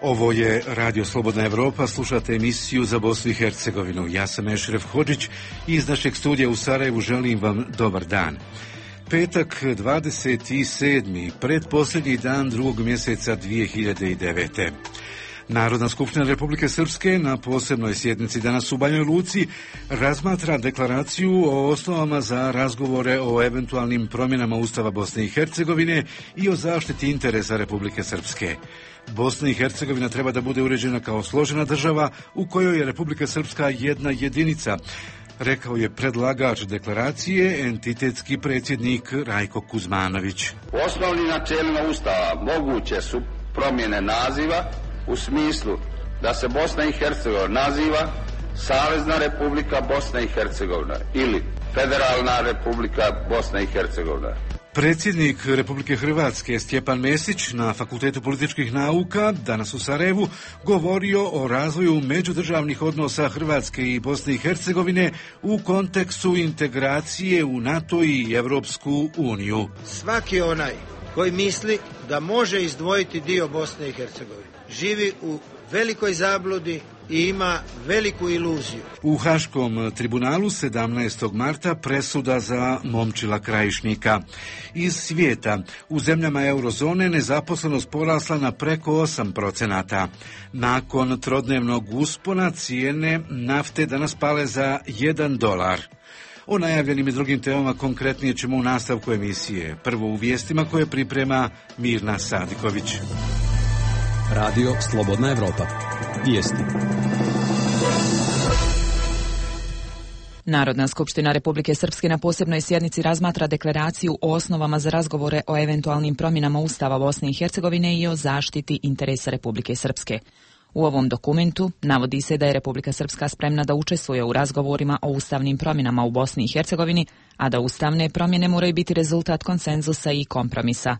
Ovo je Radio Slobodna Evropa, slušate emisiju za Bosnu i Hercegovinu. Ja sam Ešref Hodžić i iz našeg studija u Sarajevu želim vam dobar dan. Petak 27. pretposljednji dan drugog mjeseca 2009. Narodna skupština Republike Srpske na posebnoj sjednici danas u Banjoj Luci razmatra deklaraciju o osnovama za razgovore o eventualnim promjenama Ustava Bosne i Hercegovine i o zaštiti interesa Republike Srpske. Bosna i Hercegovina treba da bude uređena kao složena država u kojoj je Republika Srpska jedna jedinica, rekao je predlagač deklaracije, entitetski predsjednik Rajko Kuzmanović. U osnovnim načelima Ustava moguće su promjene naziva u smislu da se Bosna i Hercegovina naziva Savezna Republika Bosna i Hercegovina ili Federalna Republika Bosna i Hercegovina. Predsjednik Republike Hrvatske Stjepan Mesić na Fakultetu političkih nauka danas u Sarajevu govorio o razvoju međudržavnih odnosa Hrvatske i Bosne i Hercegovine u kontekstu integracije u NATO i Evropsku uniju. Svaki onaj koji misli da može izdvojiti dio Bosne i Hercegovine živi u velikoj zabludi i ima veliku iluziju. U Haškom tribunalu 17. marta presuda za Momčila Krajišnika. Iz svijeta u zemljama eurozone nezaposlenost porasla na preko 8%. Nakon trodnevnog uspona cijene nafte danas pale za $1. O najavljenim i drugim temama konkretnije ćemo u nastavku emisije. Prvo u vijestima koje priprema Mirna Sadiković. Radio Slobodna Evropa. Vijesti. Narodna skupština Republike Srpske na posebnoj sjednici razmatra deklaraciju o osnovama za razgovore o eventualnim promjenama Ustava Bosne i Hercegovine i o zaštiti interesa Republike Srpske. U ovom dokumentu navodi se da je Republika Srpska spremna da učestvuje u razgovorima o ustavnim promjenama u Bosni i Hercegovini, a da ustavne promjene moraju biti rezultat konsenzusa i kompromisa.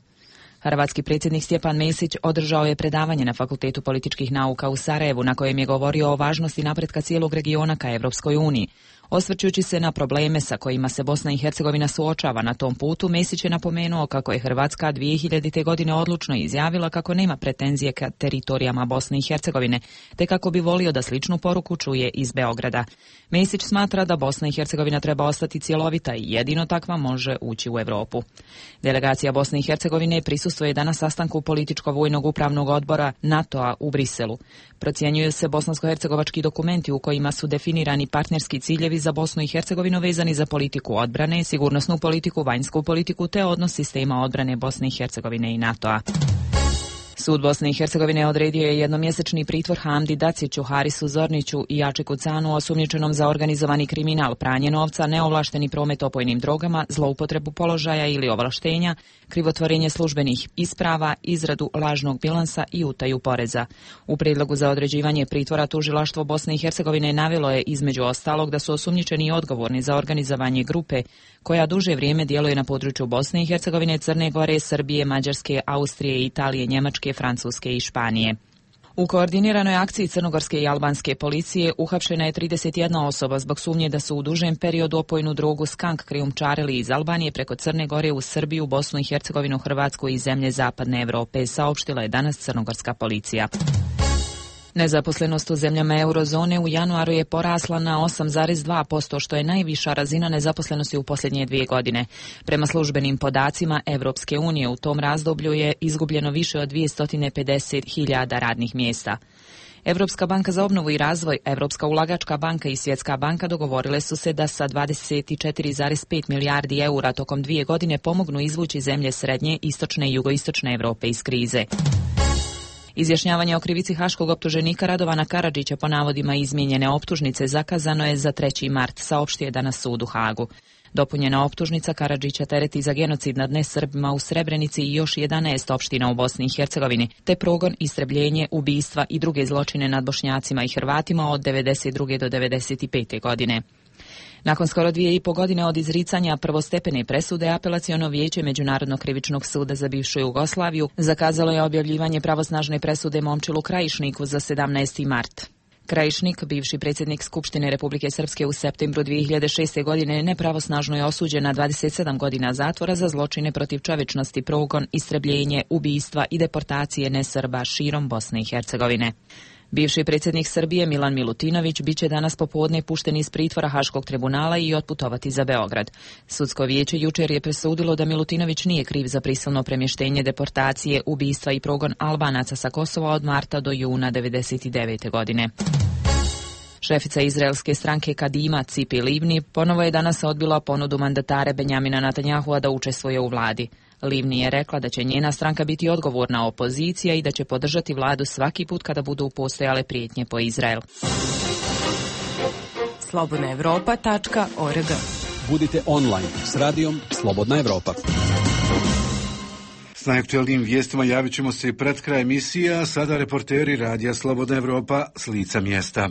Hrvatski predsjednik Stjepan Mesić održao je predavanje na Fakultetu političkih nauka u Sarajevu na kojem je govorio o važnosti napretka cijelog regiona ka Evropskoj uniji. Osvrćući se na probleme sa kojima se Bosna i Hercegovina suočava na tom putu, Mesić je napomenuo kako je Hrvatska 2000. godine odlučno izjavila kako nema pretenzije ka teritorijama Bosne i Hercegovine, te kako bi volio da sličnu poruku čuje iz Beograda. Mesić smatra da Bosna i Hercegovina treba ostati cjelovita i jedino takva može ući u Europu. Delegacija Bosne i Hercegovine prisustvuje danas sastanku političko-vojnog upravnog odbora NATO-a u Briselu. Procjenjuju se bosansko-hercegovački dokumenti u kojima su definirani partnerski ciljevi za Bosnu i Hercegovinu vezani za politiku odbrane, sigurnosnu politiku, vanjsku politiku te odnos sistema odbrane Bosne i Hercegovine i NATO-a. Sud Bosne i Hercegovine odredio je jednomjesečni pritvor Hamdi Daciću, Harisu Zorniću i Jačiku Canu osumnjičenom za organizovani kriminal, pranje novca, neovlašteni promet opojnim drogama, zloupotrebu položaja ili ovlaštenja, krivotvorenje službenih isprava, izradu lažnog bilansa i utaju poreza. U prijedlogu za određivanje pritvora tužilaštvo Bosne i Hercegovine navelo je između ostalog da su osumnjičeni odgovorni za organizovanje grupe koja duže vrijeme djeluje na području Bosne i Hercegovine, Crne Gore, Srbije, Mađarske, Austrije, Italije, Njemačke, Francuske i Španije. U koordiniranoj akciji crnogorske i albanske policije uhapšena je 31 osoba zbog sumnje da su u dužem periodu opojnu drogu skank krijumčarili iz Albanije preko Crne Gore u Srbiju, Bosnu i Hercegovinu, Hrvatsku i zemlje Zapadne Europe, saopštila je danas crnogorska policija. Nezaposlenost u zemljama eurozone u januaru je porasla na 8,2%, što je najviša razina nezaposlenosti u posljednje 2 godine. Prema službenim podacima Evropske unije u tom razdoblju je izgubljeno više od 250.000 radnih mjesta. Europska banka za obnovu i razvoj, Europska ulagačka banka i Svjetska banka dogovorile su se da sa 24,5 milijardi eura tokom 2 godine pomognu izvući zemlje srednje, istočne i jugoistočne Europe iz krize. Izjašnjavanje o krivici haškog optuženika Radovana Karadžića po navodima izmijenjene optužnice zakazano je za 3. mart, saopštio je danas sud u Hagu. Dopunjena optužnica Karadžića tereti za genocid nad nesrbima u Srebrenici i još 11 opština u Bosni i Hercegovini, te progon, istrebljenje, ubistva i druge zločine nad Bošnjacima i Hrvatima od 92. do 95. godine. Nakon skoro 2,5 godine od izricanja prvostepene presude, apelaciono vijeće Međunarodnog krivičnog suda za bivšu Jugoslaviju zakazalo je objavljivanje pravosnažne presude Momčilu Krajišniku za 17. mart. Krajišnik, bivši predsjednik Skupštine Republike Srpske u septembru 2006. godine, nepravosnažno je osuđen na 27 godina zatvora za zločine protiv čovječnosti, progon, istrebljenje, ubistva i deportacije nesrba širom Bosne i Hercegovine. Bivši predsjednik Srbije Milan Milutinović biće danas popodne pušten iz pritvora Haškog tribunala i otputovati za Beograd. Sudsko vijeće jučer je presudilo da Milutinović nije kriv za prisilno premještenje, deportacije, ubistva i progon Albanaca sa Kosova od marta do juna 1999. godine. Šefica izraelske stranke Kadima, Cipi Livni, ponovo je danas odbila ponudu mandatare Benjamina Netanjahua da učestvuje u vladi. Livni je rekla da će njena stranka biti odgovorna opozicija i da će podržati vladu svaki put kada budu postojale prijetnje po Izrael. slobodnaevropa.org. Budite online s radijom Slobodna Evropa. S najaktualnijim vijestima javit ćemo se i pred kraj emisija, a sada reporteri radija Slobodna Evropa s lica mjesta.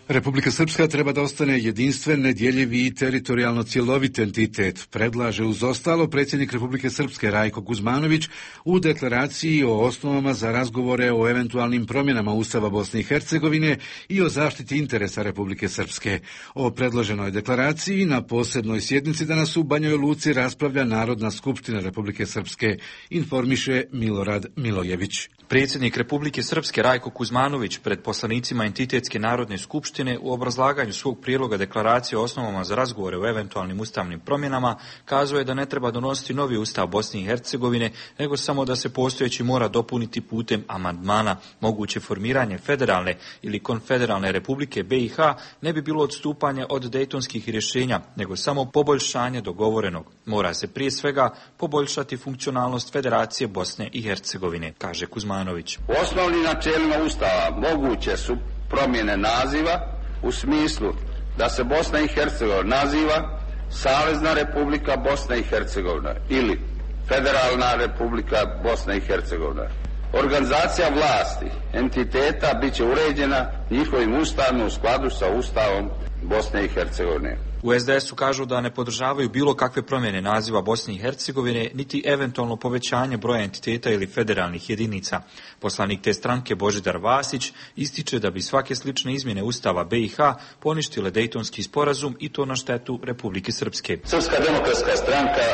Republika Srpska treba da ostane jedinstven, nedjeljivi i teritorijalno cjelovit entitet, predlaže uz ostalo predsjednik Republike Srpske Rajko Kuzmanović u deklaraciji o osnovama za razgovore o eventualnim promjenama Ustava Bosne i Hercegovine i o zaštiti interesa Republike Srpske. O predloženoj deklaraciji na posebnoj sjednici danas u Banjoj Luci raspravlja Narodna skupština Republike Srpske, informiše Milorad Milojević. Predsjednik Republike Srpske Rajko Kuzmanović pred poslanicima Entitetske narodne skupštine u obrazlaganju svog prijedloga deklaracije o osnovama za razgovore o eventualnim ustavnim promjenama kazao je da ne treba donositi novi ustav Bosne i Hercegovine, nego samo da se postojeći mora dopuniti putem amandmana. Moguće formiranje federalne ili konfederalne Republike BiH ne bi bilo odstupanje od dejtonskih rješenja, nego samo poboljšanje dogovorenog. Mora se prije svega poboljšati funkcionalnost Federacije Bosne i Hercegovine, kaže Kuzmanović. U osnovnim načelima Ustava moguće su promjene naziva u smislu da se Bosna i Hercegovina naziva Savezna Republika Bosna i Hercegovina ili Federalna Republika Bosna i Hercegovina. Organizacija vlasti entiteta bit će uređena njihovim ustavom u skladu sa Ustavom Bosne i Hercegovine. U SDS-u kažu da ne podržavaju bilo kakve promjene naziva Bosne i Hercegovine, niti eventualno povećanje broja entiteta ili federalnih jedinica. Poslanik te stranke Božidar Vasić ističe da bi svake slične izmjene Ustava BiH poništile Dejtonski sporazum i to na štetu Republike Srpske. Srpska demokratska stranka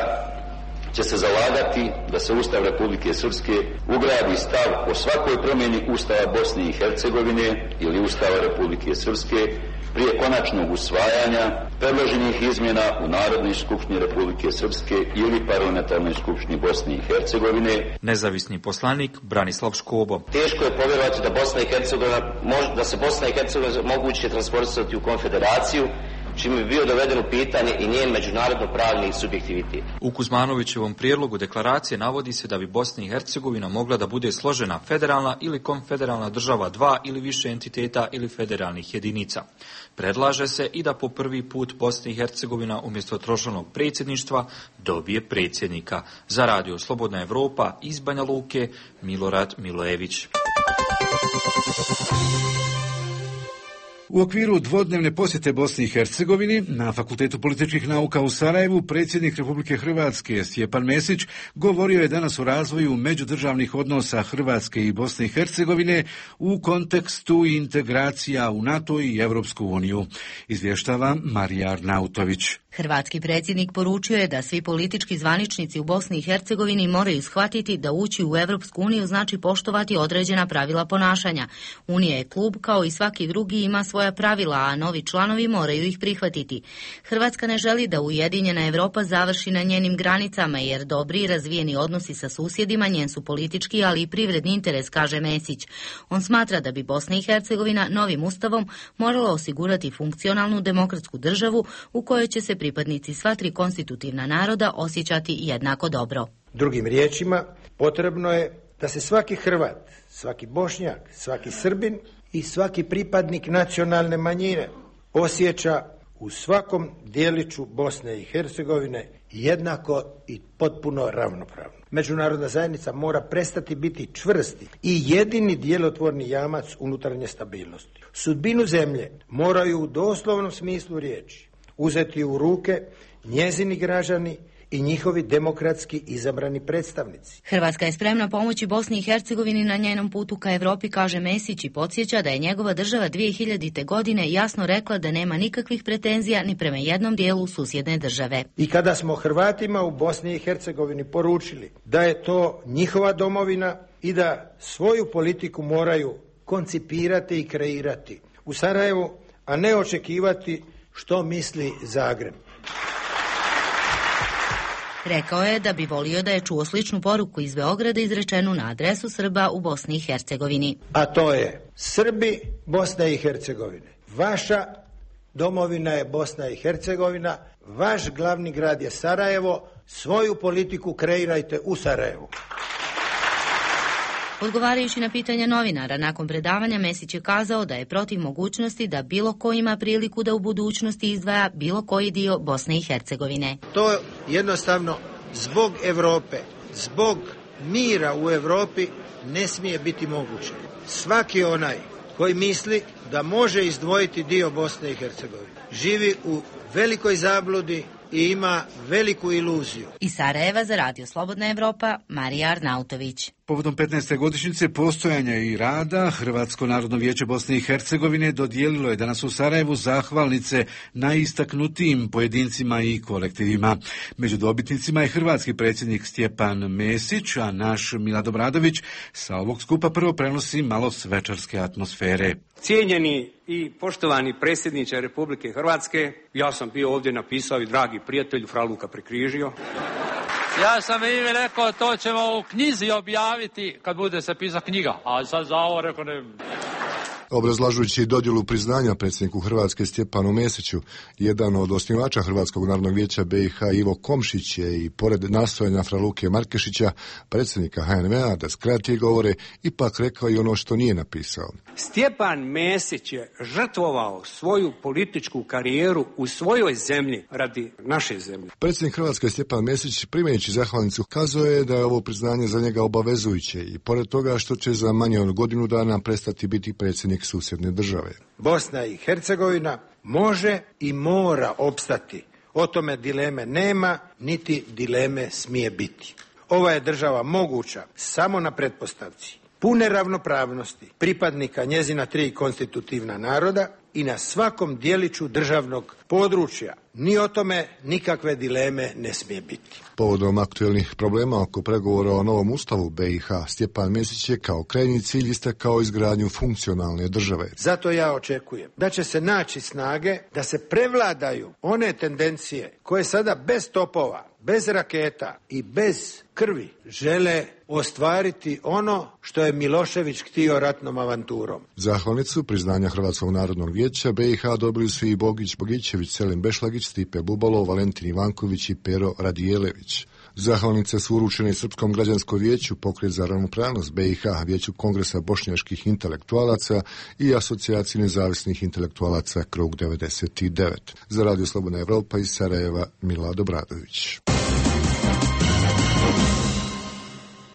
će se zalagati da se Ustav Republike Srpske ugradi stav o svakoj promjeni Ustava Bosne i Hercegovine ili Ustava Republike Srpske prije konačnog usvajanja predloženih izmjena u Narodnoj skupštini Republike Srpske ili Parlamentarnoj skupštini Bosne i Hercegovine. Nezavisni poslanik Branislav Škobo. Teško je povjerovati da da se Bosna i Hercegovina moguće transportirati u konfederaciju, čime bi bio doveden u pitanje i njen međunarodno-pravni subjektivitet. U Kuzmanovićevom prijedlogu deklaracije navodi se da bi Bosna i Hercegovina mogla da bude složena federalna ili konfederalna država dva ili više entiteta ili federalnih jedinica. Predlaže se i da po prvi put Bosna i Hercegovina umjesto tročlanog predsjedništva dobije predsjednika. Za Radio Slobodna Evropa iz Banja Luke, Milorad Milojević. U okviru dvodnevne posjete Bosni i Hercegovini na Fakultetu političkih nauka u Sarajevu predsjednik Republike Hrvatske Stjepan Mesić govorio je danas o razvoju međudržavnih odnosa Hrvatske i Bosne i Hercegovine u kontekstu integracija u NATO i Europsku uniju. Izvještava Marija Arnautović. Hrvatski predsjednik poručio je da svi politički zvaničnici u Bosni i Hercegovini moraju shvatiti da ući u Europsku uniju znači poštovati određena pravila ponašanja. Unija je klub, kao i svaki drugi, ima svoja pravila, a novi članovi moraju ih prihvatiti. Hrvatska ne želi da ujedinjena Europa završi na njenim granicama, jer dobri i razvijeni odnosi sa susjedima njen su politički, ali i privredni interes, kaže Mesić. On smatra da bi Bosna i Hercegovina novim ustavom morala osigurati funkcionalnu demokratsku državu u kojoj će se pripadnici sva tri konstitutivna naroda osjećati jednako dobro. Drugim riječima, potrebno je da se svaki Hrvat, svaki Bošnjak, svaki Srbin i svaki pripadnik nacionalne manjine osjeća u svakom dijeliću Bosne i Hercegovine jednako i potpuno ravnopravno. Međunarodna zajednica mora prestati biti čvrsti i jedini djelotvorni jamac unutarnje stabilnosti. Sudbinu zemlje moraju u doslovnom smislu riječi uzeti u ruke njezini građani i njihovi demokratski izabrani predstavnici. Hrvatska je spremna pomoći Bosni i Hercegovini na njenom putu ka Evropi, kaže Mesić i podsjeća da je njegova država 2000. godine jasno rekla da nema nikakvih pretenzija ni prema jednom dijelu susjedne države. I kada smo Hrvatima u Bosni i Hercegovini poručili da je to njihova domovina i da svoju politiku moraju koncipirati i kreirati u Sarajevu, a ne očekivati što misli Zagreb. Rekao je da bi volio da je čuo sličnu poruku iz Beograda izrečenu na adresu Srba u Bosni i Hercegovini. A to je: Srbi Bosne i Hercegovine, vaša domovina je Bosna i Hercegovina, vaš glavni grad je Sarajevo, svoju politiku kreirajte u Sarajevu. Odgovarajući na pitanja novinara nakon predavanja, Mesić je kazao da je protiv mogućnosti da bilo ko ima priliku da u budućnosti izdvaja bilo koji dio Bosne i Hercegovine. To jednostavno zbog Europe, zbog mira u Europi ne smije biti moguće. Svaki onaj koji misli da može izdvojiti dio Bosne i Hercegovine živi u velikoj zabludi i ima veliku iluziju. Iz Sarajeva za Radio Slobodna Evropa, Marija Arnautović. Povodom 15. godišnjice postojanja i rada, Hrvatsko narodno vijeće Bosne i Hercegovine dodijelilo je danas u Sarajevu zahvalnice najistaknutijim pojedincima i kolektivima. Među dobitnicima je hrvatski predsjednik Stjepan Mesić, a naš Milad Obradović sa ovog skupa prvo prenosi malo svečarske atmosfere. Cijenjeni i poštovani predsjedniče Republike Hrvatske, ja sam bio ovdje napisao i dragi prijatelju fra Luka prekrižio. Ja sam im rekao, to ćemo u knjizi objaviti kad bude se pisati knjiga, a sad za ovo rekao ne. Obrazlažujući dodjelu priznanja predsjedniku Hrvatske Stjepanu Mesiću, jedan od osnivača Hrvatskog narodnog vijeća BiH Ivo Komšić je i pored nastojanja fra Luke Markešića, predsjednika HNV-a, da skrati govore, ipak rekao i ono što nije napisao. Stjepan Mesić je žrtvovao svoju političku karijeru u svojoj zemlji radi naše zemlje. Predsjednik Hrvatske Stjepan Mesić, primajući zahvalnicu, kazao je da je ovo priznanje za njega obavezujuće i pored toga što će za manje od godinu dana prestati biti predsjednik susjedne države. Bosna i Hercegovina može i mora opstati. O tome dileme nema, niti dileme smije biti. Ova je država moguća samo na pretpostavci pune ravnopravnosti pripadnika njezina 3 konstitutivna naroda i na svakom dijeliću državnog područja. Ni o tome nikakve dileme ne smije biti. Povodom aktuelnih problema oko pregovora o novom ustavu BiH, Stjepan Mesić je kao krajnji cilj istakao izgradnju funkcionalne države. Zato ja očekujem da će se naći snage da se prevladaju one tendencije koje sada bez topova, bez raketa i bez krvi žele ostvariti ono što je Milošević htio ratnom avanturom. Zahvalnicu priznanja Hrvatskog narodnog vijeća BiH dobili su i Bogić Bogićević, Selim Bešlagić, Stipe Bubalo, Valentin Ivanković i Pero Radijelević. Zahvalnice su uručene Srpskom građanskom vijeću, Pokret za ravnopravnost BiH, Vijeću kongresa bošnjačkih intelektualaca i Asocijaciji nezavisnih intelektualaca Krug 99. Za Radio Slobodna Evropa iz Sarajeva, Milad Obradović.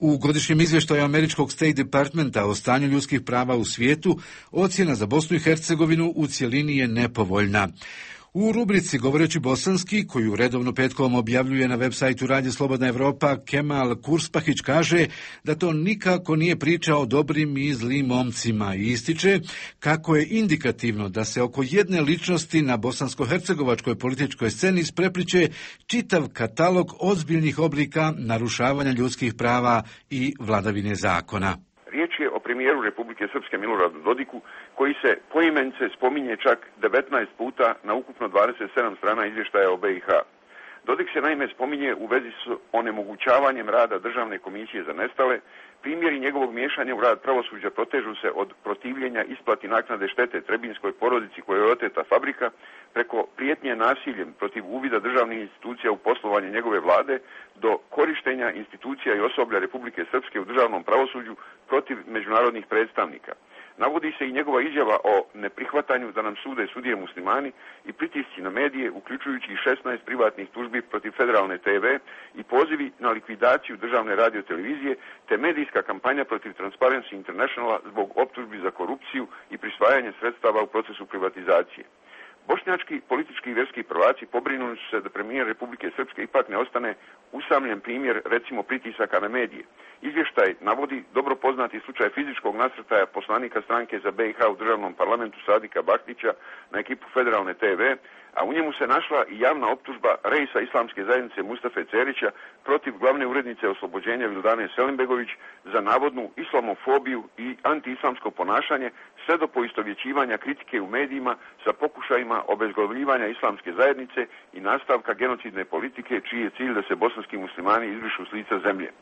U godišnjem izvještaju američkog State Departmenta o stanju ljudskih prava u svijetu, ocjena za Bosnu i Hercegovinu u cjelini je nepovoljna. U rubrici Govoreći bosanski, koju redovno petkom objavljuje na web sajtu Radio Slobodna Evropa, Kemal Kurspahić kaže da to nikako nije priča o dobrim i zlim momcima i ističe kako je indikativno da se oko jedne ličnosti na bosansko-hercegovačkoj političkoj sceni isprepliče čitav katalog ozbiljnih oblika narušavanja ljudskih prava i vladavine zakona. Riječ je o premijeru Republike Srpske Miloradu Dodiku, koji se poimence spominje čak 19 puta na ukupno 27 strana izvještaja o BiH. Dodik se naime spominje u vezi s onemogućavanjem rada Državne komisije za nestale, primjeri njegovog miješanja u rad pravosuđa protežu se od protivljenja isplati naknade štete Trebinskoj porodici kojoj je oteta fabrika, preko prijetnje nasiljem protiv uvida državnih institucija u poslovanje njegove vlade, do korištenja institucija i osoblja Republike Srpske u državnom pravosuđu protiv međunarodnih predstavnika. Navodi se i njegova izjava o neprihvatanju da nam sude sudije muslimani i pritisci na medije, uključujući i 16 privatnih tužbi protiv federalne TV i pozivi na likvidaciju državne radiotelevizije, te medijska kampanja protiv Transparency Internationala zbog optužbi za korupciju i prisvajanje sredstava u procesu privatizacije. Bošnjački politički i vjerski prvaci pobrinuli su se da premijer Republike Srpske ipak ne ostane usamljen primjer, recimo, pritisaka na medije. Izvještaj navodi dobro poznati slučaj fizičkog nasrtaja poslanika stranke za BiH u državnom parlamentu Sadika Bahtića na ekipu Federalne TV, a u njemu se našla i javna optužba reisa islamske zajednice Mustafe Cerića protiv glavne urednice oslobođenja Vildane Selimbegović za navodnu islamofobiju i antiislamsko ponašanje, sve do poistovjećivanja kritike u medijima sa pokušajima obezglavljivanja islamske zajednice i nastavka genocidne politike, čiji je cilj da se bosanski muslimani izbrišu s lica zemlje.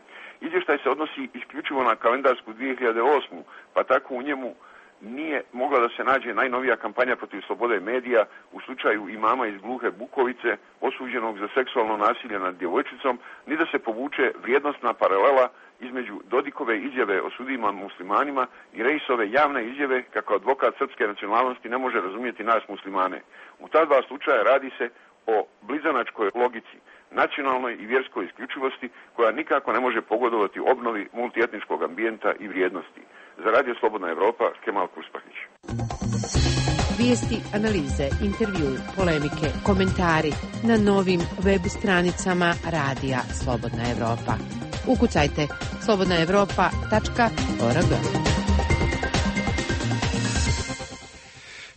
Izvještaj se odnosi isključivo na kalendarsku 2008. pa tako u njemu nije mogla da se nađe najnovija kampanja protiv slobode medija u slučaju imama iz Gluhe Bukovice, osuđenog za seksualno nasilje nad djevojčicom, ni da se povuče vrijednosna paralela između Dodikove izjave o sudijima muslimanima i Reisove javne izjave kako advokat srpske nacionalnosti ne može razumjeti nas muslimane. U ta dva slučaja radi se o blizanačkoj logici, nacionalnoj i vjerskoj isključivosti koja nikako ne može pogodovati obnovi multietničkog ambijenta i vrijednosti. Za Radio Slobodna Evropa, Kemal Kuspahić. Vijesti, analize, intervjui, polemike, komentari na novim web stranicama Radija Slobodna Evropa. Ukucajte slobodnaevropa.org.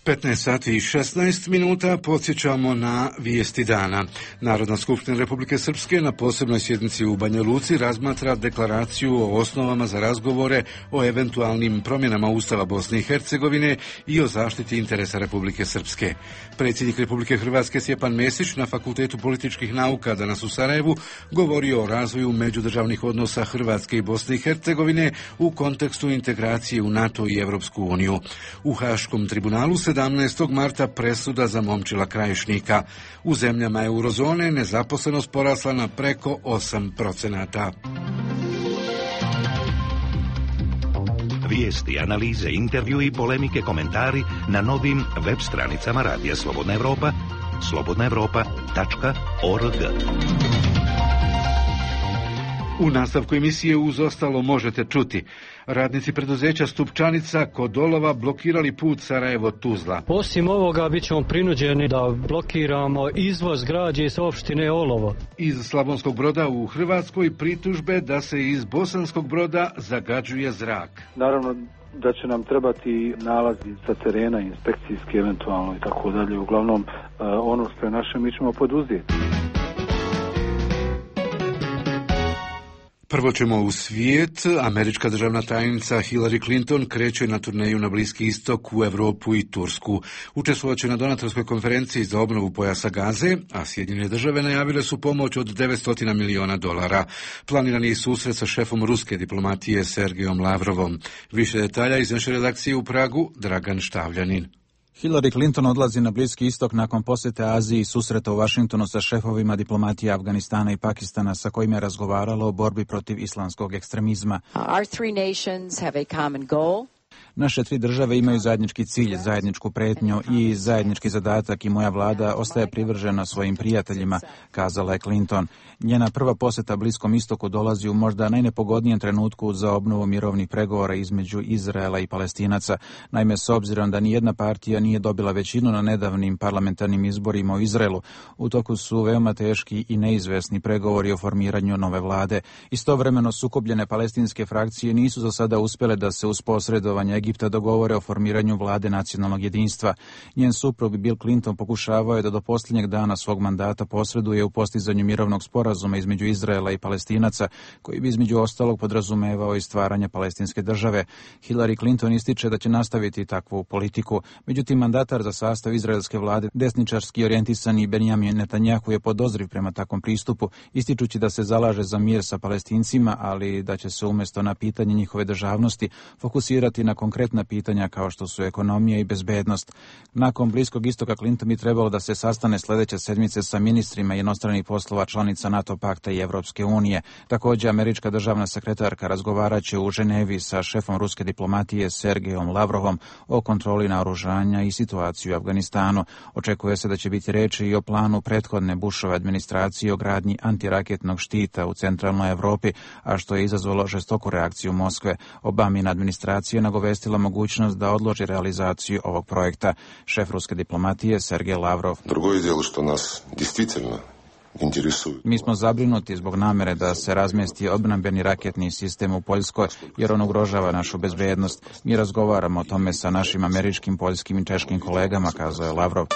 15 sati i 16 minuta podsjećamo na vijesti dana. Narodna skupština Republike Srpske na posebnoj sjednici u Banja Luci razmatra deklaraciju o osnovama za razgovore o eventualnim promjenama Ustava Bosne i Hercegovine i o zaštiti interesa Republike Srpske. Predsjednik Republike Hrvatske Stjepan Mesić na Fakultetu političkih nauka danas u Sarajevu govorio o razvoju međudržavnih odnosa Hrvatske i Bosne i Hercegovine u kontekstu integracije u NATO i Europsku uniju. U Haškom tribunalu 17. marta presuda za Momčila Krajišnika. U zemljama eurozone nezaposlenost porasla na preko 8%. Vijesti, analize, intervjui, polemike, komentari na novim web stranicama Radija Slobodna Evropa, slobodnaevropa.org. U nastavku emisije uz ostalo možete čuti. Radnici preduzeća Stupčanica kod Olova blokirali put Sarajevo-Tuzla. Osim ovoga bit ćemo prinuđeni da blokiramo izvoz građe iz opštine Olovo. Iz Slavonskog Broda u Hrvatskoj pritužbe da se iz Bosanskog Broda zagađuje zrak. Naravno da će nam trebati nalazi sa terena, inspekcijski eventualno i tako dalje. Uglavnom ono što je naše mi ćemo poduzeti. Prvo ćemo u svijet. Američka državna tajnica Hillary Clinton kreće na turneju na Bliski istok, u Europu i Tursku. Učestvovat će na donatorskoj konferenciji za obnovu pojasa Gaze, a Sjedinjene države najavile su pomoć od $900 miliona. Planirani je susret sa šefom ruske diplomatije Sergejom Lavrovom. Više detalja iz naše redakcije u Pragu, Dragan Štavljanin. Hillary Clinton odlazi na Bliski istok nakon posjete Aziji i susreta u Vašingtonu sa šefovima diplomatije Afganistana i Pakistana sa kojima je razgovaralo o borbi protiv islamskog ekstremizma. Our three nations have a common goal. Naše tri države imaju zajednički cilj, zajedničku pretnju i zajednički zadatak i moja vlada ostaje privržena svojim prijateljima, kazala je Clinton. Njena prva posjeta Bliskom istoku dolazi u možda najnepogodnijem trenutku za obnovu mirovnih pregovora između Izraela i Palestinaca. Naime, s obzirom da nijedna partija nije dobila većinu na nedavnim parlamentarnim izborima u Izraelu, u toku su veoma teški i neizvesni pregovori o formiranju nove vlade. Istovremeno sukobljene palestinske frakcije nisu za sada uspjele da se uz posredovanje Egipta dogovore o formiranju vlade nacionalnog jedinstva. Njen suprug Bill Clinton pokušavao je da do posljednjeg dana svog mandata posreduje u postizanju mirovnog sporazuma između Izraela i Palestinaca, koji bi između ostalog podrazumevao i stvaranje palestinske države. Hillary Clinton ističe da će nastaviti takvu politiku. Međutim, mandatar za sastav izraelske vlade, desničarski orijentisani Benjamin Netanjahu, je podozriv prema takvom pristupu, ističući da se zalaže za mir sa Palestincima, ali da će se umjesto na pitanje njihove državnosti fokusirati na konkretna pitanja kao što su ekonomija i bezbednost. Nakon Bliskog istoka Clinton bi trebalo da se sastane sljedeće sedmice sa ministrima inostranih poslova članica NATO pakta i Evropske unije. Također, američka državna sekretarka razgovaraće u Ženevi sa šefom ruske diplomatije Sergejom Lavrovom o kontroli naoružanja i situaciji u Afganistanu. Očekuje se da će biti reči i o planu prethodne Bushove administracije o gradnji antiraketnog štita u centralnoj Evropi, a što je izazvalo žestoku reakciju Moskve. Obamina administracija nagovestila iskoristila mogućnost da odloži realizaciju ovog projekta. Šef ruske diplomatije Sergej Lavrov. Другое дело, что нас действительно интересует. Mi smo zabrinuti zbog namere da se razmjesti odbrambeni raketni sistem u Poljskoj, jer on ugrožava našu bezbednost. Mi razgovaramo o tome sa našim američkim, poljskim i češkim kolegama, kazao je Lavrov.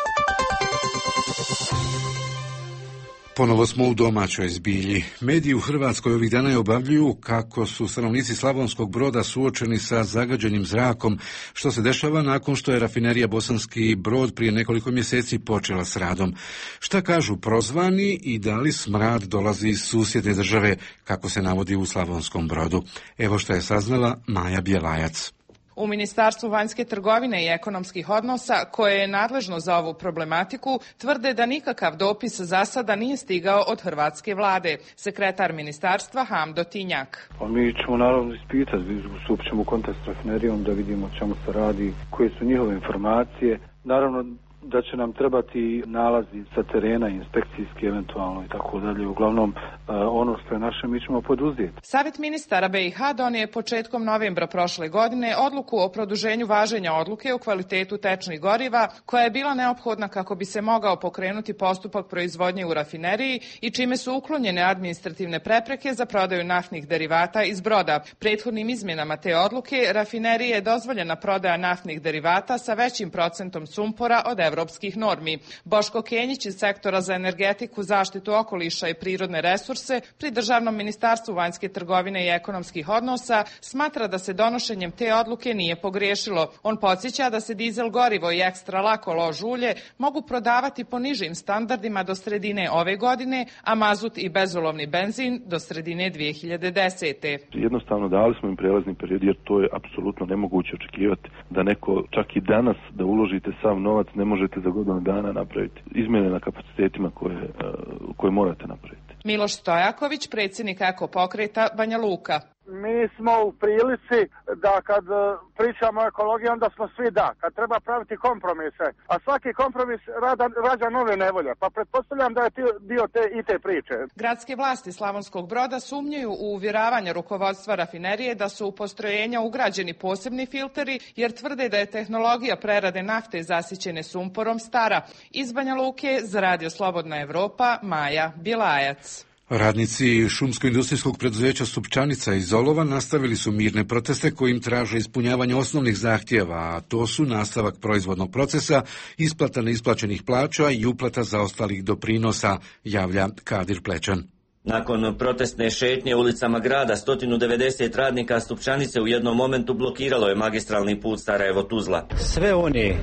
Ponovo smo u domaćoj zbilji. Mediji u Hrvatskoj ovih dana objavljuju kako su stanovnici Slavonskog Broda suočeni sa zagađenim zrakom, što se dešava nakon što je rafinerija Bosanski Brod prije nekoliko mjeseci počela s radom. Šta kažu prozvani i da li smrad dolazi iz susjedne države, kako se navodi u Slavonskom Brodu? Evo što je saznala Maja Bjelajac. U Ministarstvu vanjske trgovine i ekonomskih odnosa, koje je nadležno za ovu problematiku, tvrde da nikakav dopis za sada nije stigao od hrvatske vlade. Sekretar ministarstva Hamdo Tinjak. Mi ćemo naravno ispitati, ćemo u kontakt s rafinerijom da vidimo o čemu se radi, koje su njihove informacije. Naravno da će nam trebati nalazi sa terena, inspekcijski eventualno i tako dalje. Uglavnom, ono što je naše mi ćemo poduzeti. Savjet ministara BiH donio je početkom novembra prošle godine odluku o produženju važenja odluke o kvalitetu tečnih goriva, koja je bila neophodna kako bi se mogao pokrenuti postupak proizvodnje u rafineriji i čime su uklonjene administrativne prepreke za prodaju naftnih derivata iz broda. Prethodnim izmjenama te odluke rafinerije je dozvoljena prodaja naftnih derivata sa većim procentom sumpora od evropskih normi. Boško Kenjić iz sektora za energetiku, zaštitu okoliša i prirodne resurse pri Državnom ministarstvu vanjske trgovine i ekonomskih odnosa smatra da se donošenjem te odluke nije pogriješilo. On podsjeća da se dizel gorivo i ekstra lako lož ulje mogu prodavati po nižim standardima do sredine ove godine, a mazut i bezolovni benzin do sredine 2010. Jednostavno dali smo im prelazni period jer to je apsolutno nemoguće očekivati da neko čak i danas da uložite sav novac ne možete za godinu dana napraviti izmjene na kapacitetima koje morate napraviti. Miloš Stojaković, predsjednik Eko pokreta Banja Luka. Mi smo u prilici da kad pričamo o ekologiji, onda smo svi da. Kad treba praviti kompromise, a svaki kompromis rađa nove nevolje, pa pretpostavljam da je dio te priče. Gradske vlasti Slavonskog Broda sumnjaju u uvjeravanje rukovodstva rafinerije da su u postrojenja ugrađeni posebni filteri, jer tvrde da je tehnologija prerade nafte zasićene sumporom stara. Iz Banja Luke za Radio Slobodna Evropa, Maja Bjelajac. Radnici šumsko-industrijskog preduzeća Stupčanica iz Olova nastavili su mirne proteste kojim traže ispunjavanje osnovnih zahtjeva, a to su nastavak proizvodnog procesa, isplata neisplaćenih plaća i uplata zaostalih doprinosa, javlja Kadir Plećan. Nakon protestne šetnje ulicama grada, 190 radnika Stupčanice u jednom momentu blokiralo je magistralni put Sarajevo-Tuzla. Sve one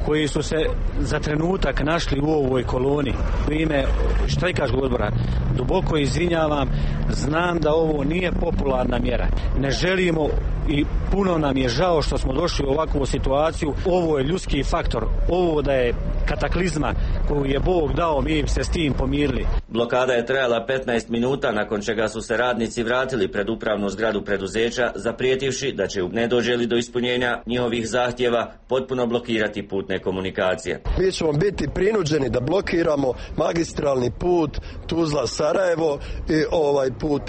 koji su se za trenutak našli u ovoj koloni, u ime štrajkaškog odbora, duboko izvinjavam, znam da ovo nije popularna mjera. Ne želimo i puno nam je žao što smo došli u ovakvu situaciju. Ovo je ljudski faktor, ovo da je kataklizma koju je Bog dao, mi se s tim pomirili. Blokada je trajala 15 minuta, nakon čega su se radnici vratili pred upravnu zgradu preduzeća, zaprijetivši da će, ne dođe li do ispunjenja njihovih zahtjeva, potpuno blokirati putne komunikacije. Mi ćemo biti prinuđeni da blokiramo magistralni put Tuzla-Sarajevo i ovaj put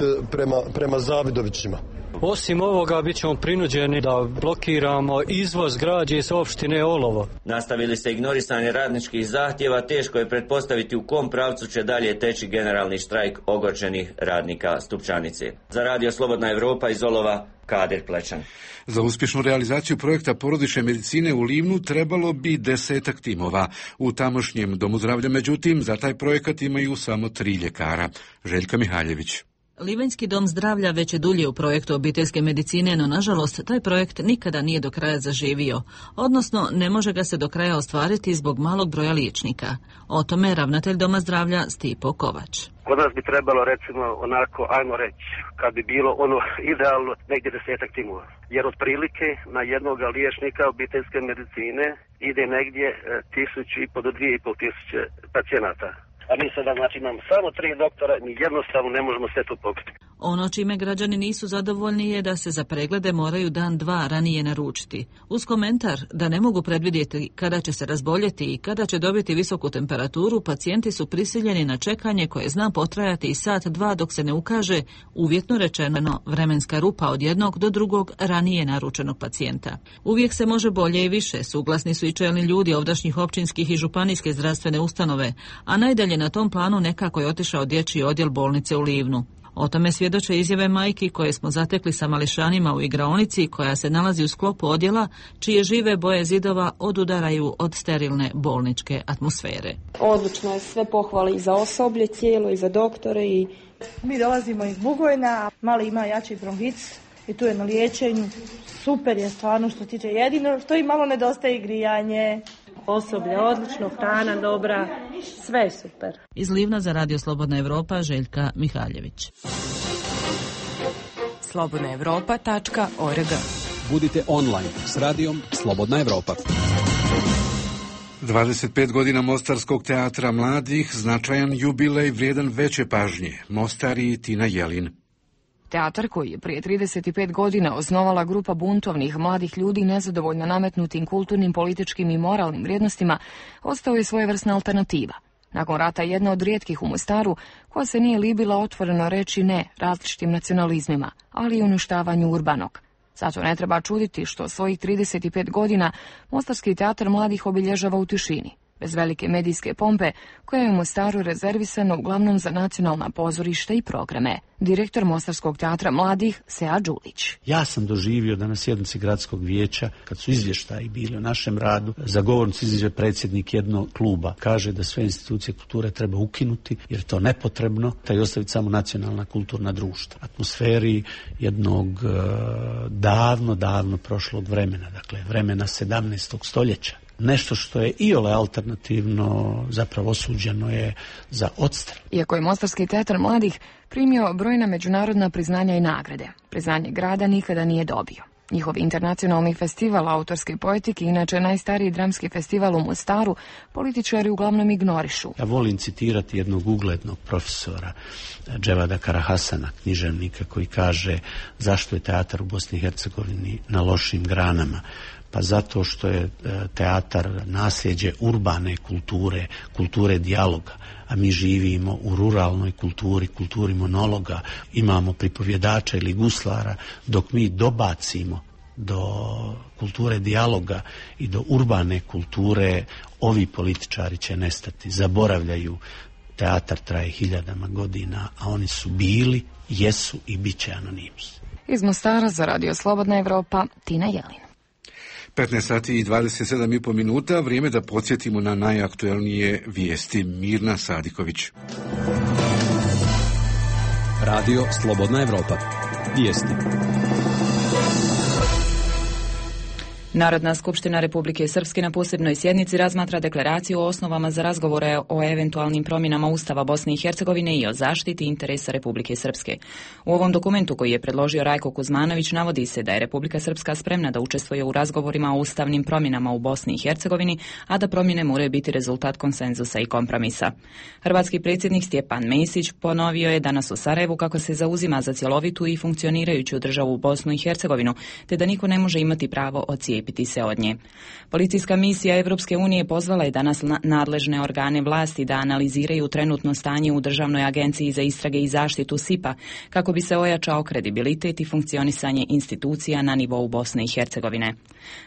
prema Zavidovićima. Osim ovoga, bit ćemo prinuđeni da blokiramo izvoz građe iz opštine Olovo. Nastavili se ignorisanje radničkih zahtjeva, teško je pretpostaviti u kom pravcu će dalje teći generalni štrajk ogorčenih radnika Stupčanice. Za Radio Slobodna Evropa iz Olova, Kadir Plećan. Za uspješnu realizaciju projekta porodične medicine u Livnu trebalo bi 10 timova. U tamošnjem domu zdravlja, međutim, za taj projekat imaju samo 3 ljekara. Željka Mihaljević. Livanjski dom zdravlja već je dulje u projektu obiteljske medicine, no nažalost taj projekt nikada nije do kraja zaživio, odnosno ne može ga se do kraja ostvariti zbog malog broja liječnika. O tome ravnatelj doma zdravlja Stipo Kovač. Kod nas bi trebalo, recimo, onako, ajmo reći, kad bi bilo ono idealno, negdje 10 timova. Jer otprilike na jednog liječnika obiteljske medicine ide negdje 1.500 do 2.500 pacijenata. A mi sada, znači, imamo samo 3 doktora, mi jednostavno ne možemo sve to pokriti. Ono čime građani nisu zadovoljni je da se za preglede moraju dan, dva ranije naručiti. Uz komentar da ne mogu predvidjeti kada će se razboljeti i kada će dobiti visoku temperaturu, pacijenti su prisiljeni na čekanje koje zna potrajati i sat, dva dok se ne ukaže, uvjetno rečeno, vremenska rupa od jednog do drugog ranije naručenog pacijenta. Uvijek se može bolje i više, suglasni su i čelni ljudi ovdašnjih općinskih i županijske zdravstvene ustanove, a najdalje na tom planu nekako je otišao dječji odjel bolnice u Livnu. O tome svjedoče izjave majki koje smo zatekli sa mališanima u igraonici koja se nalazi u sklopu odjela čije žive boje zidova odudaraju od sterilne bolničke atmosfere. Odlično je, sve pohvale i za osoblje cijelo i za doktore. Mi dolazimo iz Bugojna, mali ima jači bronhic i tu je na liječenju. Super je stvarno što tiče, jedino što i malo nedostaje grijanje. Osoblje odlično, hrana dobra, sve je super. Iz Livna za Radio Slobodna Evropa, Željka Mihaljević. slobodnaevropa.org. Budite online s radijom Slobodna Evropa. 25 godina Mostarskog teatra mladih, značajan jubilej vrijedan veće pažnje. Mostar i Tina Jelin. Teatar koji je prije 35 godina osnovala grupa buntovnih mladih ljudi nezadovoljno nametnutim kulturnim, političkim i moralnim vrijednostima, ostao je svojevrsna alternativa. Nakon rata jedna od rijetkih u Mostaru koja se nije libila otvoreno reći ne različitim nacionalizmima, ali i uništavanju urbanog. Zato ne treba čuditi što svojih 35 godina Mostarski teatar mladih obilježava u tišini, bez velike medijske pompe, koja je u Mostaru rezervisana uglavnom za nacionalna pozorišta i programe. Direktor Mostarskog teatra mladih, Sead Đulić. Ja sam doživio da na sjednici gradskog vijeća, kad su izvještaji bili o našem radu, za govornicu izađe predsjednik jednog kluba. Kaže da sve institucije kulture treba ukinuti, jer je to nepotrebno, i ostaviti samo nacionalna kulturna društva. Atmosferi jednog davno prošlog vremena, dakle vremena 17. stoljeća. Nešto što je iole alternativno zapravo osuđeno je za odstrel. Iako je Mostarski teatar mladih primio brojna međunarodna priznanja i nagrade, priznanje grada nikada nije dobio. Njihov internacionalni festival autorske poetike, inače najstariji dramski festival u Mostaru, političari uglavnom ignorišu. Ja volim citirati jednog uglednog profesora, Dževada Karahasana, književnika, koji kaže zašto je teatar u Bosni i Hercegovini na lošim granama. Pa zato što je teatar nasljeđe urbane kulture, kulture dijaloga, a mi živimo u ruralnoj kulturi, kulturi monologa, imamo pripovjedača ili guslara, dok mi dobacimo do kulture dijaloga i do urbane kulture, ovi političari će nestati, zaboravljaju. Teatar traje hiljadama godina, a oni su bili, jesu i bit će anonimus. Iz Mostara za Radio Slobodna Evropa, Tina Jelin. 15 sati i 27,5 minuta, vrijeme da podsjetimo na najaktuelnije vijesti. Mirna Sadiković. Radio Slobodna Evropa. Vijesti. Narodna skupština Republike Srpske na posebnoj sjednici razmatra deklaraciju o osnovama za razgovore o eventualnim promjenama Ustava Bosne i Hercegovine i o zaštiti interesa Republike Srpske. U ovom dokumentu koji je predložio Rajko Kuzmanović navodi se da je Republika Srpska spremna da učestvuje u razgovorima o ustavnim promjenama u Bosni i Hercegovini, a da promjene moraju biti rezultat konsenzusa i kompromisa. Hrvatski predsjednik Stjepan Mesić ponovio je danas u Sarajevu kako se zauzima za cjelovitu i funkcionirajuću državu Bosnu i Hercegovinu, te da niko ne može imati pravo odcijepiti se od nje. Policijska misija Evropske unije pozvala je danas nadležne organe vlasti da analiziraju trenutno stanje u Državnoj agenciji za istrage i zaštitu SIPA kako bi se ojačao kredibilitet i funkcionisanje institucija na nivou Bosne i Hercegovine.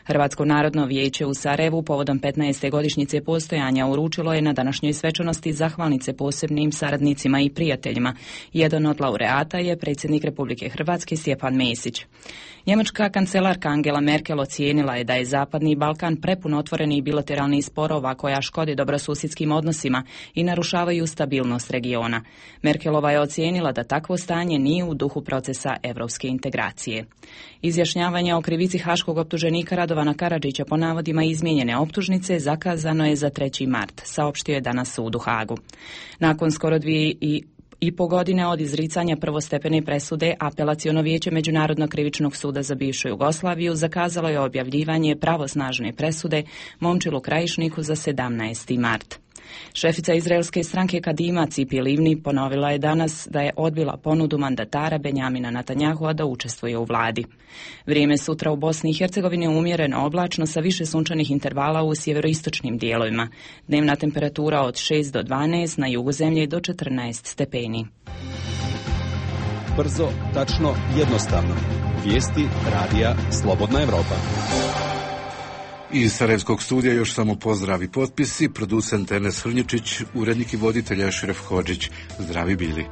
Hrvatsko narodno vijeće u Sarajevu povodom 15. godišnjice postojanja uručilo je na današnjoj svečanosti zahvalnice posebnim saradnicima i prijateljima. Jedan od laureata je predsjednik Republike Hrvatske Stjepan Mesić. Njemačka kancelarka Angela Merkel ocijenila je da je Zapadni Balkan prepun otvorenih bilateralnih sporova koja škode dobrosusjedskim odnosima i narušavaju stabilnost regiona. Merkelova je ocijenila da takvo stanje nije u duhu procesa evropske integracije. Izjašnjavanje o krivici haškog optuženika Radovana Karadžića po navodima izmijenjene optužnice zakazano je za 3. mart, saopštio je danas sud u Hagu. Nakon skoro 2,5 godine od izricanja prvostepene presude, Apelaciono vijeće Međunarodnog krivičnog suda za bivšu Jugoslaviju zakazalo je objavljivanje pravosnažne presude Momčilu Krajišniku za 17. mart. Šefica izraelske stranke Kadima Cipi Livni ponovila je danas da je odbila ponudu mandatara Benjamina Netanjahua da učestvuje u vladi. Vrijeme sutra u Bosni i Hercegovini umjereno oblačno sa više sunčanih intervala u sjeveroistočnim dijelovima. Dnevna temperatura od 6 do 12, na jugu zemlje do 14 stepeni. Brzo, tačno, jednostavno. Vijesti radija Slobodna Evropa. Iz Sarajevskog studija još samo pozdrav i potpisi, producent Enes Hrnječić, urednik i voditelj Ašref Hodžić. Zdravi bili.